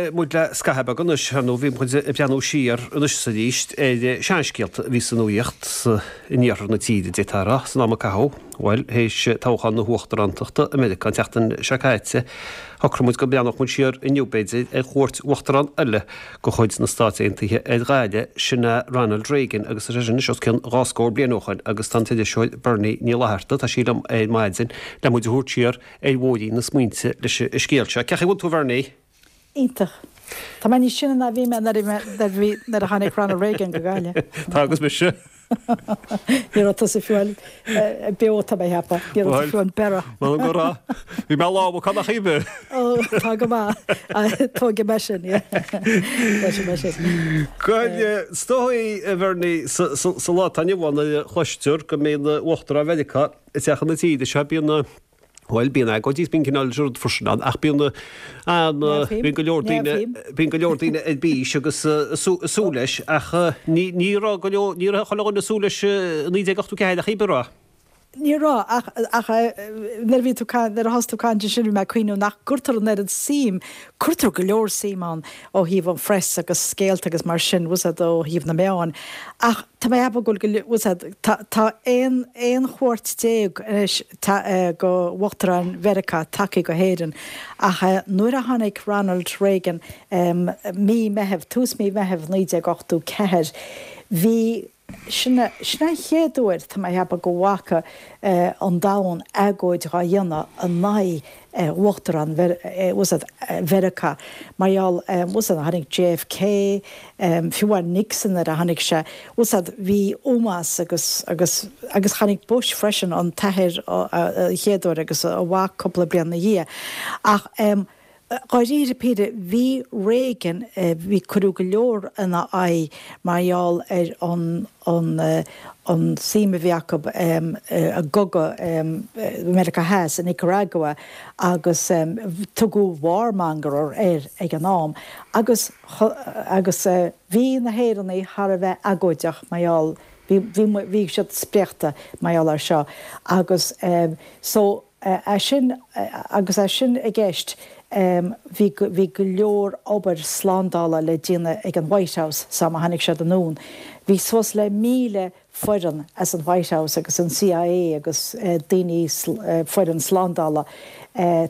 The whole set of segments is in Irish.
Gabhfaidh muid le scaitheamh beag anois, ar ndóigh bhí muid ag breathnú siar anois is arís ar seanscéalta a bhí sa nuaíocht in iarthar na tíre, d'fhéadfá a rá, san am a caitheadh. Bhuel, théis toghchán na huachtarántachta i Meiriceá an tseachtain seo caite, shocraigh muid go mbreathnódh muid siar inniu, b'fhéidir, ar chuairt uachtarán eile de chuid na Stát Aontaithe ar Ghaillimh, sin é Ronald Reagan, agus tá sé sin anois os cionn dhá scór bliain ó shoin, agus tá an t-iriseoir Bernie Ní Fhlatharta, tá sí liom ar maidin le muid a thabhairt siar ar bhóithrín na smaointe leis an scéal seo. Cén chaoi a bhfuil tú a Bhernie? Iontach. Tá mé níos sine ná bhí mé nuair a bhí nuair a tháinig Ronald Reagan go Gaillimh. Tá agus mise. Ní raibh tusa fiú beo tá mé a cheapadh. Ní raibh tú fiú ag breith. Bhuel go raibh. Bhí mé lámh acu nach iad. Ó tá go maith. Tógfaidh mé sin. Tógfaidh mé sin. Bhuel, is dóigh a Bhernie sa lá atá inniu ann nuair a chloistear go mbeidh Uachtarán Mheiriceá ag teacht chun na tíre seo bíonn Bhuel, bíonn agóidí is bíonn cineál rud freisin ann, ach bíonn an, bíonn go leor daoine, bíonn go leor daoine ar bís agus ag súil leis, ach ní, ní raibh go leor, ní raibh chuile dhuine ag súil leis i 1984 ach an raibh. Ní raibh, ach, ach nuair a bhí tú, nuair a thosaigh tú ag caint ansin bhí mé ag cuimhniú nach gcuirtear an oiread suim, cuirtear go leor suim ann ó thaobh an phress agus scéalta agus mar sin, bhfuil 's a'd, ó thaobh na meáin, ach tá mé ag ceapadh go bhfuil, bhfuil 's a'd, tá, tá aon, 11 chuairt anois go Uachtarán Mheiriceá tagtha go hÉirinn ach nuair a tháinig Ronald Reagan mí Meitheamh, tús mí Meitheamh 1984, bhí, sin é, sin é an chéad uair, tá mé a cheapadh, go bhfaca an domhan agóid dhá dhéanamh in aghaidh Uachtarán Mheiriceá mar gheall, bhfuil 's a'd, tháinig JFK, fiú amháin Nixon nuair a tháinig sé, bhfuil 's a'd, bhí ómós agus, agus, agus tháinig Bush freisin, an t-athair an chéad uair agus a mhac cúpla bliain ina dhiaidh. Ach dháiríre píre, bhí Reagan, bhí, cuireadh go leor ina aghaidh mar gheall ar an, an, an suim a bhí acu i gcogadh Mheiriceá Theas i Nicaragua agus tugadh warmonger air ag an am agus agus bhí na hÉireannaigh thar a bheith agóideach mar gheall bhí bhí bhí siad spréachta mar gheall air seo agus so É sin, agus é sin i gceist, bhí bhí go leor obair slándála le déanamh ag an White House san am a tháinig siad anonn. Bhí suas le 1,000 foireann as an White House agus an CIA agus daoine, foireann slándála,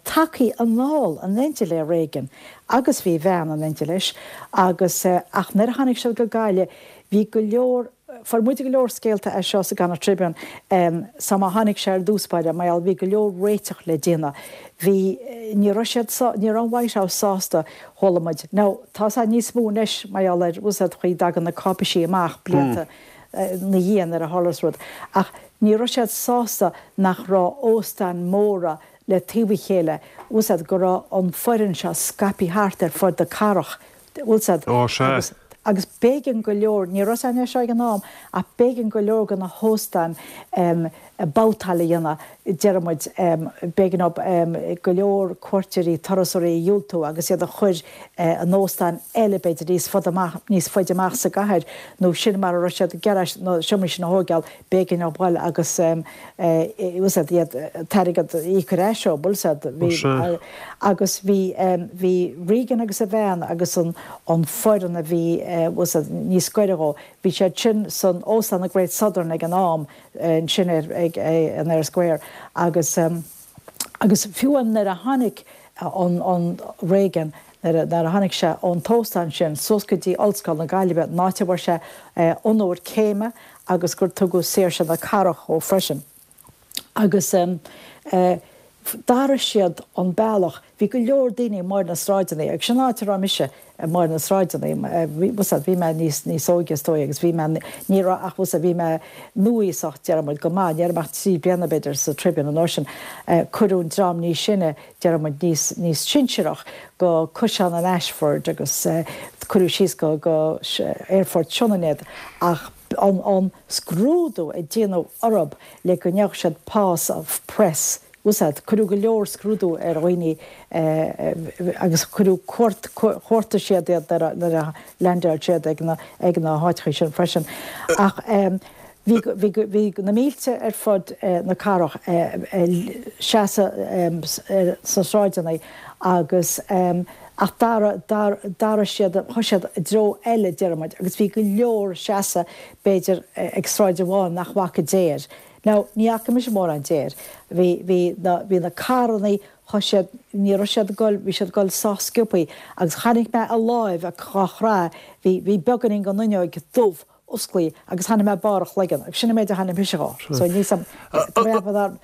tagtha anall in éindí le Reagan agus bhí a bhean in éindí leis agus ach nuair a tháinig siad go Gaillimh bhí go leor Fuair muid go leor scéalta as seo sa gConnacht Tribune san am a tháinig sé ar dtús báire, mar gheall bhí go leor réiteach le déanamh. Bhí, ní raibh siad sá, ní raibh an White House sásta, chuala muid. Now, tá sé níos mó anois mar gheall ar, bhfuil 's a'd, chaoi dtagann na cáipeisí amach blianta na dhiaidh nuair a tharlas rud. Ach ní raibh siad sásta nach raibh óstáin móra le taobh a chéile, bhfuil 's a'd, go raibh an foireann seo scaipthe thart ar fud na cathrach. Bhfuil 's a'd. Ó, sea. Agus, agus b'éigean go leor, ní raibh 's a'inn é seo ag an am, ach b'éigean go leor de na hóstáin em babhtáil a dhéanamh, déarfaidh muid, em b'éigean dóibh em go leor cuairteoirí, turasóirí a dhiúltú agus iad a chur eh in óstáin eile b'fhéidir níos fada amach, níos faide amach sa gcathair nó sin mar a raibh siad ag iarraidh na seomraí sin a thóigeáil, b'éigean dóibh dhul agus bhfuil 's a'd iad an t-airgead a íoc ar ais ó, bhfuil 's a'd, bhí agus bhí bhí Reagan agus a bhean agus an an foireann a bhí bhfuil 's a'd níos gaire dhó, bhí siad sin san óstán an Great Southern ag an am ansin ar ag an Eyre Square agus agus fiú nuair a tháinig an an Reagan nuair a tháinig sé ón t-óstán sin suas go dtí Ollscoil na Gaillimhe, an áit a bhfuair sé onóir céime agus gur tugadh saoirse na cathrach dhó freisin. Agus d'athraigh siad an bealach, bhí go leor daoine amuigh ar na sráideanna, agus sin an áit a raibh mise, amuigh ar na sráideanna, bhfuil 's a'd, bhí mé níos, níos óige is dóigh agus bhí mé, ní raibh ach, bhfuil 's a'd, bhí mé núíosach, déarfaidh muid, go maith, ní raibh mé ach 3 bliana b'fhéidir sa Tribune an uair sin, cuireadh an dream níos sine, déarfaidh muid, níos, níos sinsearach go Caisleán an Ashford agus cuireadh síos go, go Aerfort Sionainn iad ach an, an scrúdú a déanadh orthub le go ndéanfadh siad pass of press, bhfuil 's a'd, cuireadh go leor scrúdú ar dhaoine agus cuireadh cuart, chuartaigh siad iad nuair a, nuair a leaindeáil siad ag na, ag na háiteachaí sin freisin ach. Bhí, bhí, bhí na mílte ar fud na cathrach ag seasamh sna sráideanna agus. Ach d'athraigh, d'athraigh siad, chuaigh siad i dtreo eile, déarfaidh muid, agus bhí go leor ag seasamh, b'fhéidir, ag sráid amháin nach bhfaca deoir. Now, ní fhaca mise mórán deoir. Bhí, bhí na, bhí na carrannaí, chuaigh siad, ní raibh siad ag goil, bhí siad ag goil sách sciobthaí agus chonaic mé a láimh á chrá, bhí, bhí beagáinín den fhuinneoig dubh osclaithe agus chonaic mé barr a chloigeann agus sin an méid a chonaic mise dhó. So níl 's a'm, tá mé ag ceapadh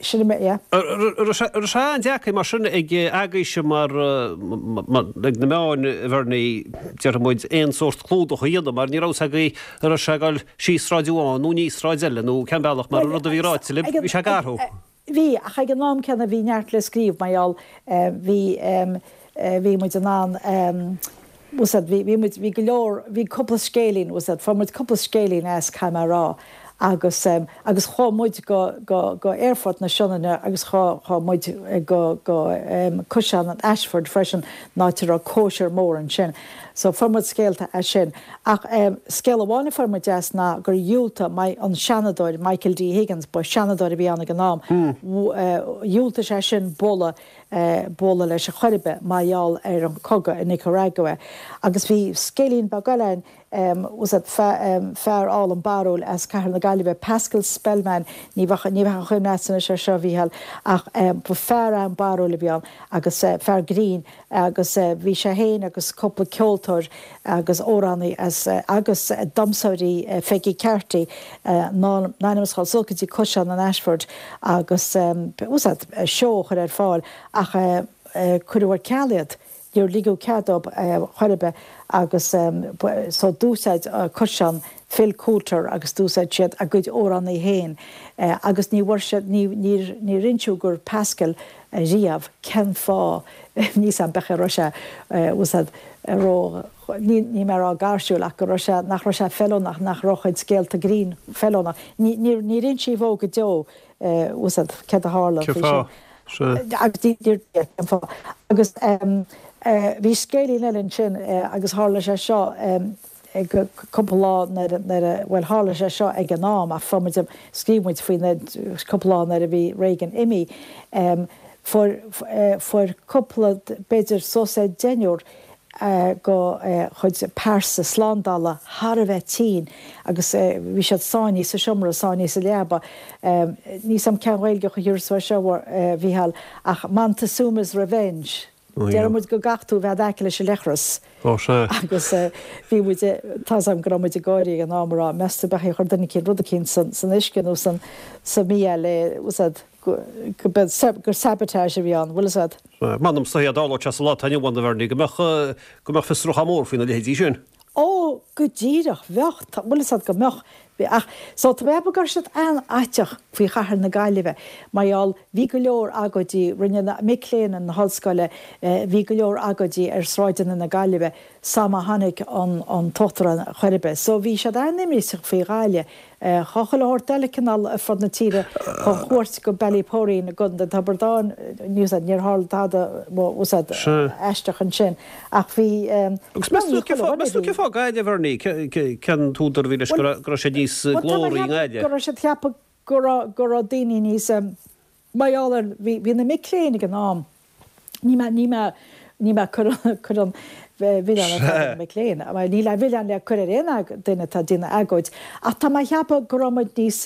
sin an méid, yeah. Raibh sé an-deacair mar sin ag agaibhse mar, ag na meáin a Bhernie, déarfaidh muid, aon sórt clúdach a dhéanamh mar ní raibh 's agaibh an raibh sé ag dul síos sráid amháin nó aníos sráid eile nó cén bealach mar an rud a bhí ráite libh, bhí sé ag athrú. Bhí, ach ag an am céanna bhí neart le scríobh mar gheall bhí bhí muid in ann bhfuil 's a'd bhí bhí muid bhí go leor bhí cúpla scéilín bhfuil 's a'd fuair muid cúpla scéilín as caithfidh mé a rá agus agus chuaigh muid go go go Aerfort na Sionainne agus chuaigh chuaigh muid go go Caisleán an Ashford freisin an áit a raibh cóisir mór ansin so fuair muid scéalta as sin. Ach scéal amháin a fuair muid as ná gur dhiúltaigh an Seanadóir Michael D. Higgins, ba Sheanadóir a bhí ann ag an am, dhiúltaigh sé sin bualadh bualadh leis ar chor ar bith mar gheall ar an cogadh i Nicaragua. Agus bhí scéilín beag eile ann, bhfuil 's a'd, fear álainn barrúil as Cathair na Gaillimhe, Pascal Spellman, ní bheadh ní bheadh an chuimhne agatsa anois air seo, a Mhícheáil, ach ba fear an-barrúil a bhí ann agus fear grinn, agus bhí sé féin agus cúpla ceoltóir agus amhránaí as agus damhsóirí Peggy Carty in ainm is a dhul suas go dtí Caisleán an Ashford agus bhfuil 's a'd seó a chur ar fáil ach cuireadh ar ceal iad. Níor ligeadh cead dóibh chor ar bith agus so d'úsáid Caisleán Phil Coulter agus d'úsáid siad a gcuid amhránaí féin agus ní bhfuair siad ní níor níor inseadh do Pascal riamh cén fáth, níl 's a'm b'fhéidir go raibh sé, bhfuil 's a'd, ró, ní, níl mé a rá gairsiúil ach go raibh sé, nach raibh sé feiliúnach, nach raibh a chuid scéalta grinn feiliúnach. Ní, níor, níor insíodh dhó go deo, bhfuil 's a'd, céard a tharla faoi sin. Cén fáth? Sea. Agus ní, níor, cén fáth. Agus bhí scéilín eile ansin agus tharla sé seo, cúpla lá nuair a, nuair a, bhuel tharla sé seo ag an am ach fuair muid, scríobh muid faoi na, cúpla lá nuair a bhí Reagan imithe, fuair, fuair cúpla, b'fhéidir suas le deichniúr go chuid pearsa slándála thar a bheith tinn agus bhí siad sáinnithe sa seomra, sáinnithe sa leaba. Níl 's a'm cén Ghaeilge a chuirfeá air seo a Mhícheáil ach Montezuma's Revenge. Déarfaidh muid go gcaithfidh tú a bheith in aice leis an leithreas. Ó sea. Agus bhí muid, tá's agam go raibh muid ag gáirí ag an am a rá, meas tú ab é chuir duine eicínt rud eicínt san uisce nó san sa mbia le, bhfuil 's a'd, go, go, gur sabotage a bhí ann, bhfuil 's a'd. M'anam is dá dtarlódh sé sa lá atá inniu ann, a Bhernie, go mbeadh, go mbeadh fiosrúchán mór faoina leithéidí sin. Ó, go díreach, bheadh, bhfuil 'fhios a'd go mbeadh, ach, so tá mé ag ceapadh go raibh siad an-fhaiteach faoi chathair na Gaillimhe, mar gheall, bhí go leor agóidí, rinne na mic léinn na hollscoile, bhí go leor agóidí ar sráideanna na Gaillimhe sam a tháinig an, an t-uachtarán chor ar bith, so bhí siad an-imníoch faoi Ghaillimh. Tá chuile shórt eile cineál ar fud na tíre chun chuairt go Ballyporeen i gContae Tiobraid Árann, níl 'fhios a'd, níor tharla tada bhfuil 'fhios a'd aisteach ansin ach bhí Agus meas tú cén fáth, meas tú cén fáth Gaillimh, a Bhernie, cén t-údar a bhí leis go raibh sé níos glóraí i nGaillimh? Go raibh siad ag ceapadh go raibh, go raibh daoine níos, Mar gheall ar, bhí, bhí na mic léinn ag an am, ní mé, ní mé, ní mé ag cur, cur an mhilleáin ar na mic léinn, mar níl aon mhilleán le cur ar aon duine atá ag déanamh agóid, ach tá mé ag ceapadh go raibh muid níos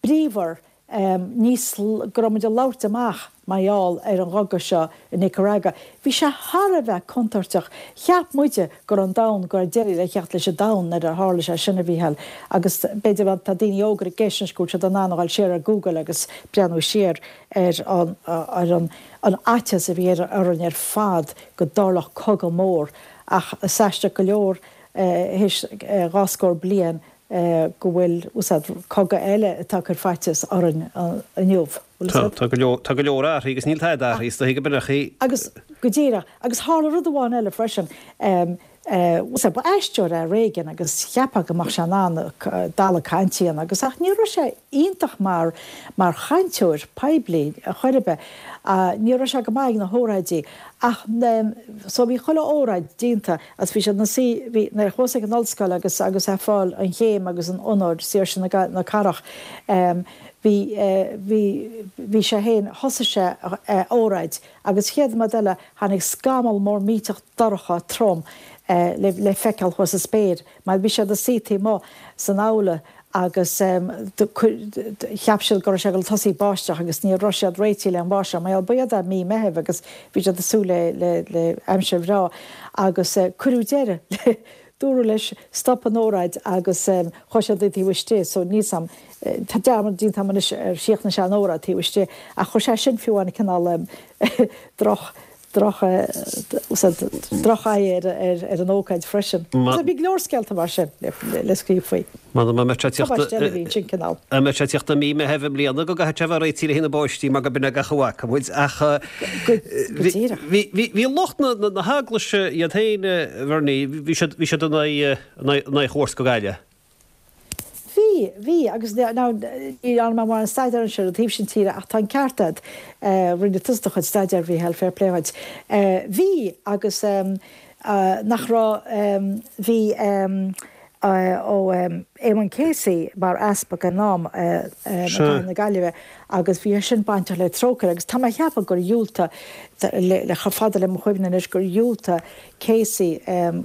bríomhar, níos, go raibh muid ag labhairt amach mar gheall ar an gcogadh seo i Nicaragua. Bhí sé thar a bheith contúirteach. Cheap muide go raibh an domhan, go raibh deireadh le theacht leis an domhan nuair a tharla sé sin, a Mhícheáil. Agus b'fhéidir má tá daoine óga ag éisteacht anois go bhfuil siad in ann a dhul siar ar Google agus breathnú siar ar an ar an an fhaitíos a bhí ar orainn ar fad go dtarlódh cogadh mór. Ach is aisteach go leor théis dhá scór bliain go bhfuil, bhfuil 's a'd, cogadh eile atá ag cur faitíos orainn inniu, bhfuil 's a'd. Tá go leor, tá go leor athraithe agus níl tada athraithe, is dóichí go b'in é. Agus, go díreach, agus tharla rud amháin eile freisin, bhfuil 's a'd, ba aisteoir é Reagan agus cheapfá go mbeadh sé in ann dalladh cainte a dhéanamh agus ach ní raibh sé iontach mar, mar chainteoir poiblí chor ar bith. Ní raibh sé go maith ag na hóráidí ach, so bhí chuile óráid déanta Agus bhí siad ina suí, bhí, nuair a chuas ag an ollscoil agus agus ag fáil an chéim agus an onóir, Saoirse na, na Cathrach, em, Bhí, bhí, bhí sé fhéin, thosaigh sé a óráid agus chéad nóiméad eile tháinig scamall mór millteach dorcha trom le, le feiceáil thuas sa spéir mar bhí siad ina suí taobh amuigh san aula agus cheap siad go raibh sé ag dul tosaí ag báisteach agus ní raibh siad réitithe le an bháisteach mar gheall ba iad mí Meithimh agus bhí siad ag súil le, le, le aimsir bhreá agus cuireadh deireadh le Dúradh leis stop an óráid agus chuaigh siad taobh istigh so níl 's a'm, tá dearmad déanta a'm anois ar chríochnaigh sé an óráid taobh istigh ach chuir sé sin fiú amháin cineál droch, droch, droch-aghaidh ar an ócáid freisin. So bhí go leor scéalta mar sin le scríobh faoi. M'anam a mbeidh sé tíocht Tubaiste eile a bhí ansin cineál. a mbeidh sé tíocht i mí Meithimh i mbliana go gcaithfidh sé a bheith réitithe le haghaidh na báistí mar go b'in é gach a bhfaca muid ach Go díreach. bhí bhí bhí lucht na na heaglaise iad féin a Bhernie bhí siad bhí siad in aghaidh in aghaidh in aghaidh chuairt go Gaillimh. Bhí, bhí agus now ní dhearna mé mórán staidéir ansin ar an taobh sin tíre ach tá an ceart agat, rinne tusa do chuid staidéir, a Mhícheáil, fair play dhuit. Bhí agus nach raibh, bhí ó Éamonn Casey mar easpag ag an am i gCathair na Gaillimhe agus bhí sé sin bainteach le Trócaire agus tá mé a cheapadh gur dhiúltaigh, le chomh fada le mo chuimhne anois, gur dhiúltaigh Casey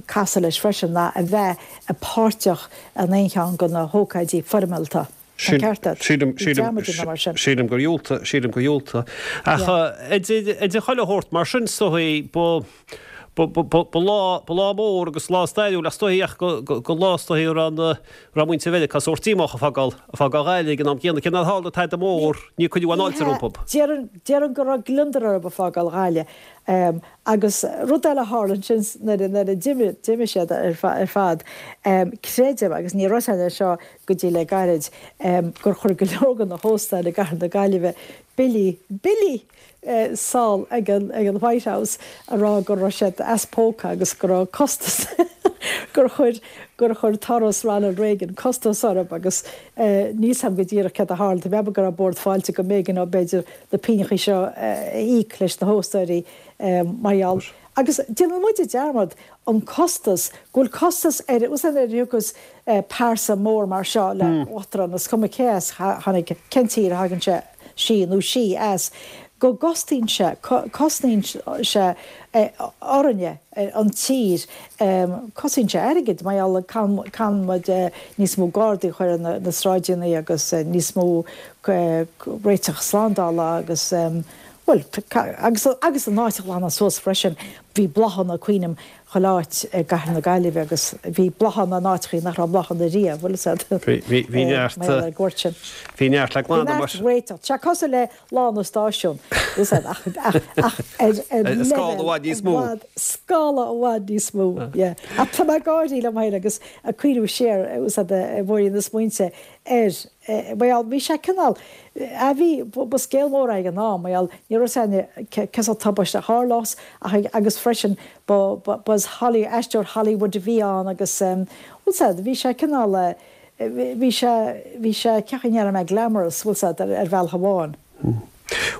casadh leis freisin ná a bheith páirteach in aon cheann de na hócáidí foirmeálta. Tá an ceart agat. Sílim, Bhí dearmad déanta mar sin. sílim gur dhiúltaigh, sílim gur dhiúltaigh. Ach idir, idir chuile shórt mar sin, is dóigh, ba, ba, ba, ba, ba lá, ba lá mór agus lá stairiúil ach is dóigh ach go, go, go lá is dóigh a raibh na, raibh muintir Mheiriceá sórt díomách ag fágáil, ag fágáil Ghaillimh ag an am céanna. Cé nár tharla tada mór, níor cuireadh aon fháilte rompu. Déarfainn, déarfainn go raibh gliondar orthu ag fágáil Ghaillimh. Agus rud eile a tharla ansin nuair a d'imigh siad ar fad, creidim, agus ní raibh a fhios agam é seo go dtí le gairid, gur chuir go leor de na hóstáin i gcathair na Gaillimhe billí, billí! sall ag an White House a rá go raibh siad as póca agus go raibh costas, gur chuir, gur chuir turas Ronald Reagan costas orthu agus níl 's a'm go díreach céard a tharla, tá mé ag ceapadh go raibh Bord Fáilte go mb'éigean dóibh b'fhéidir na pingneachaí seo a íoc leis na hóstóirí mar gheall. Agus déanann muide dearmad an costas, go bhfuil costas ar, bhfuil 's a'd nuair a thiocfas pearsa mór mar seo le uachtarán, is cuma cé as tháinig, cén tír a thagann sé, sí nó sí as, go gcostaíonn sé, cosnaíonn sé orainne, an tír, cosnaíonn sé airgead mar gheall caitheann muid níos mó gardaí a chur ar na sráideanna agus níos mó réiteach slándála agus, bhuel, agus agus an áit a ghlanadh suas freisin. Bhí bláthanna, cuimhním, chuile áit i gcathair na Gaillimhe agus bhí bláthanna in áiteachaí nach raibh bláthanna riamh, bhfuil 'fhios a'd. Bhí, bhí neart, mar gheall ar an gcuairt sin. Bhí neart le glanadh mar. Bhí neart réiteach. Tá sé cosúil le Lá na Stáisiún, bhfuil 'fhios a'd, ach, ach, ach ar, ar leibhéal i bhfad níos mó. I bhfad, scála i bhfad níos mó, yeah. Ach tá mé ag gáirí liom féin agus ag cuimhniú siar, bhfuil 'fhios a'd, a Mhuirín na smaointe air, mar gheall, bhí sé cineál, a bhí, ba scéal mór é ag an am, mar gheall, ní raibh 'fhios a'inne cén sórt tubaiste a tharlós ach, agus freisin, ba, ba, ba as Holly, aisteoir Hollywood a bhí ann agus, bhfuil 'fhios a'd, bhí sé cineál, bhí sé, bhí sé, cén chaoi a ndéarfaidh mé, glamorous, bhfuil 'fhios a'd, ar bhealach amháin.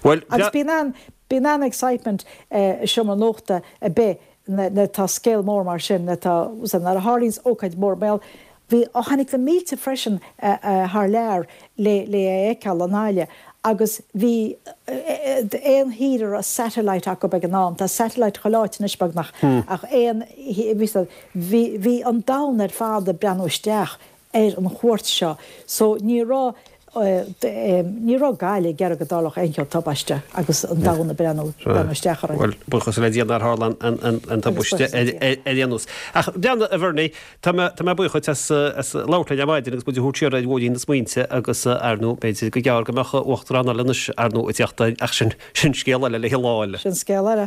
Bhuel, Agus bíonn an, bíonn an-excitement i seomra nuachta ar bith nuair atá scéal mór mar sin, nuair atá, bhfuil 'fhios a'd, nuair a tharlaíonns ócáid mhór, mar gheall, bhí, ó tháinig na mílte freisin thar lear le, le é a fheiceáil i nGaillimh agus bhí aon thír a raibh satellite acu ag an am, tá satellite chuile áit anois beagnach, ach aon, bhí 'fhios a'd, Bhí, bhí an domhan ar fad ag breathnú isteach ar an chuairt seo so ní raibh, ní raibh Gaillimh ag iarraidh go dtarlódh aon chineál tubaiste agus an domhan ag breathnú, breathnú isteach orainn. Bhuel, buíochas le Dia nár tharla an, an, an tubaiste ar, ar, ar aon nós. Ach breathnaigh, a Bhernie, tá mé, tá mé buíoch dhuit as, as labhairt linn ar maidin agus muid a thabhairt siar ar bhóithrín na smaointe agus ar ndóigh b'fhéidir go gearr go mbeadh uachtarán eile anois ar ndóigh ag teacht ach sin, sin scéal eile le lá eile. Sin scéal eile.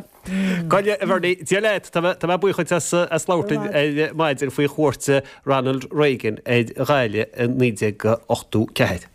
Gabh i leith, a Bhernie, Dia leat, tá mé buíoch dhuit as labhairt linn ar maidin faoi chuairt Ronald Reagan ar Ghaillimh i 1984.